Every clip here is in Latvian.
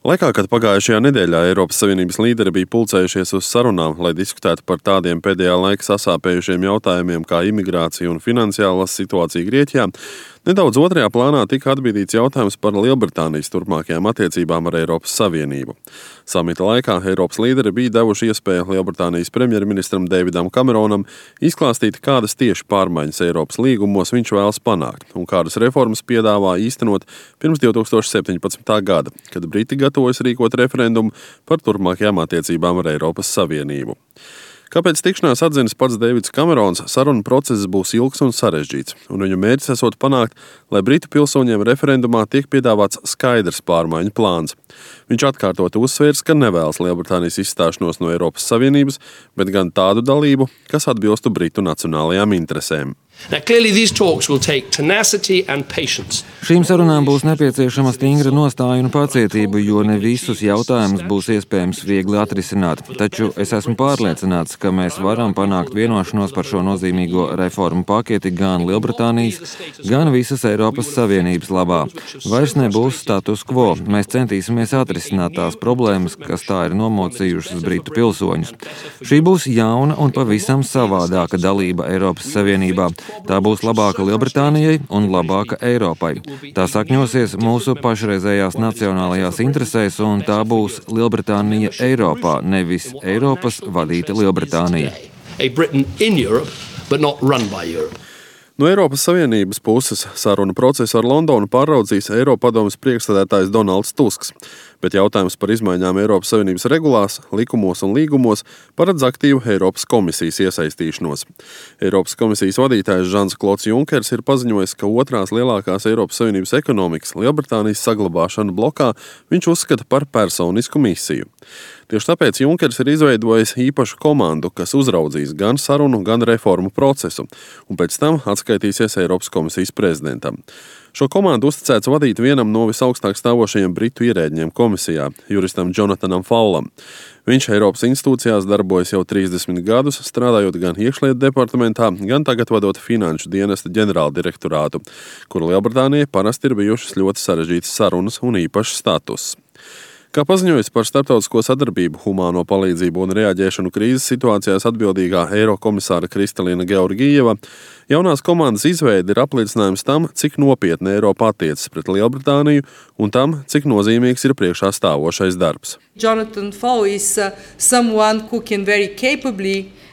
Laikā, kad pagājušajā nedēļā Eiropas Savienības līderi bija pulcējušies uz sarunām, lai diskutētu par tādiem pēdējā laika sasāpējušiem jautājumiem kā imigrācija un finansiālā situācija Grieķijā, nedaudz otrajā plānā tika atbīdīts jautājums par Lielbritānijas turpmākajām attiecībām ar Eiropas Savienību. Samita laikā Eiropas līderi bija devuši iespēju Lielbritānijas premjerministram Davidam Cameronam izklāstīt, kādas tieši pārmaiņas Eiropas līgumos viņš vēlas panākt un kādas reformas piedāvā īstenot pirms 2017. gada, kad Briti gatavojas rīkot referendumu par turpmākajām attiecībām ar Eiropas Savienību. Kāpēc tikšanās atzinis pats Deivids Kamerons, sarunu process būs ilgs un sarežģīts, un viņu mērķis esot panākt, lai Britu pilsoņiem referendumā tiek piedāvāts skaidrs pārmaiņu plāns. Viņš atkārtot uzsvērs, ka nevēlas Lielbritānijas izstāšanos no Eiropas Savienības, bet gan tādu dalību, kas atbilstu Britu nacionālajām interesēm. Šīm sarunām būs nepieciešama stingra nostāja un pacietība, jo ne visus jautājumus būs iespējams viegli atrisināt. Taču es esmu pārliecināts, ka mēs varam panākt vienošanos par šo nozīmīgo reformu paketi gan Lielbritānijas, gan visas Eiropas Savienības labā. Vairs nebūs status quo. Mēs centīsimies atrisināt tās problēmas, kas tā ir nomocījušas Britu pilsoņus. Šī būs jauna un pavisam savādāka dalība Eiropas Savienībā. Tā būs labāka Lielbritānijai un labāka Eiropai. Tā sakņosies mūsu pašreizējās nacionālajās interesēs, un tā būs Lielbritānija Eiropā, nevis Eiropas vadīta Lielbritānija. No Eiropas Savienības puses sarunu procesu ar Londonu pāraudzīs Eiropadomes priekšsēdētājs Donalds Tusks, bet jautājums par izmaiņām Eiropas Savienības regulās, likumos un līgumos paredz aktīvu Eiropas komisijas iesaistīšanos. Eiropas komisijas vadītājs Žans-Klods Junkers ir paziņojis, ka otrās lielākās Eiropas Savienības ekonomikas Lielbritānijas saglabāšanu blokā viņš uzskata par personisku misiju. Tieši tāpēc Junkers ir izveidojis īpašu komandu, kas uzraudzīs gan sarunu, gan reformu procesu, un pēc tam atskaitīsies Eiropas komisijas prezidentam. Šo komandu uzticēts vadīt vienam no visaugstāk stāvošajiem britu ierēdņiem komisijā, juristam Jonatanam Fallam. Viņš Eiropas institūcijās darbojas jau 30 gadus, strādājot gan iekšlietu departamentā, gan tagad vadot finanšu dienesta ģenerāldirektorātu, kur Lielbritānijai parasti ir bijušas ļoti sarežģītas sarunas un īpašs status. Kā paziņojas par starptautisko sadarbību, humāno palīdzību un reaģēšanu krīzes situācijās atbildīgā Eirokomisāra Kristalīna Georgieva, jaunās komandas izveide ir apliecinājums tam, cik nopietni Eiropa attiecas pret Lielbritāniju un tam, cik nozīmīgs ir priekšā stāvošais darbs.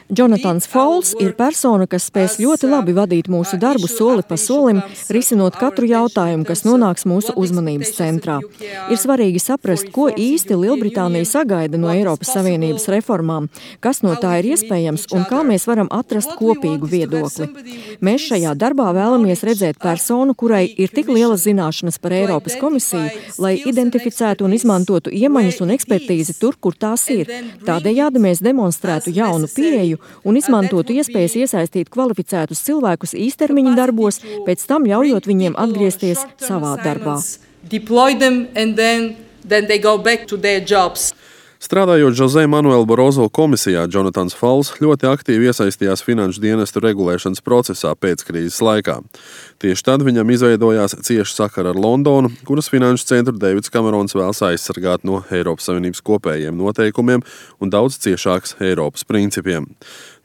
Jonatans Falls ir persona, kas spēs ļoti labi vadīt mūsu darbu soli pa solim, risinot katru jautājumu, kas nonāks mūsu uzmanības centrā. Ir svarīgi saprast, ko īsti Lielbritānija sagaida no Eiropas Savienības reformām, kas no tā ir iespējams un kā mēs varam atrast kopīgu viedokli. Mēs šajā darbā vēlamies redzēt personu, kurai ir tik lielas zināšanas par Eiropas komisiju, lai identificētu un izmantotu iemaņas un ekspertīzi tur, kur tās ir. Tādējādi mēs demonstrētu jaunu pieeju un izmantotu iespējas iesaistīt kvalificētus cilvēkus īstermiņa darbos, pēc tam ļaujot viņiem atgriezties savā darbā. Strādājot José Manuela Barozo komisijā, Jonatans Falls ļoti aktīvi iesaistījās finanšu dienestu regulēšanas procesā pēckrīzes laikā. Tieši tad viņam izveidojās cieša sakara ar Londonu, kuras finanšu centru Deivids Kamerons vēlas aizsargāt no Eiropas Savienības kopējiem noteikumiem un daudz ciešāks Eiropas principiem.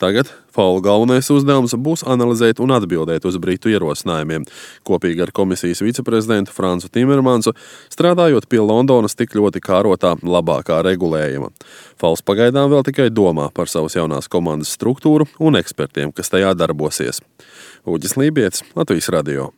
Tagad Falla galvenais uzdevums būs analizēt un atbildēt uz Britu ierosinājumiem, kopīgi ar komisijas viceprezidentu Fransu Timermansu, strādājot pie Londonas tik ļoti kārotā labākā regulējuma. Falls pagaidām vēl tikai domā par savas jaunās komandas struktūru un ekspertiem, kas tajā darbosies. Uģis Lībietis, Latvijas radio.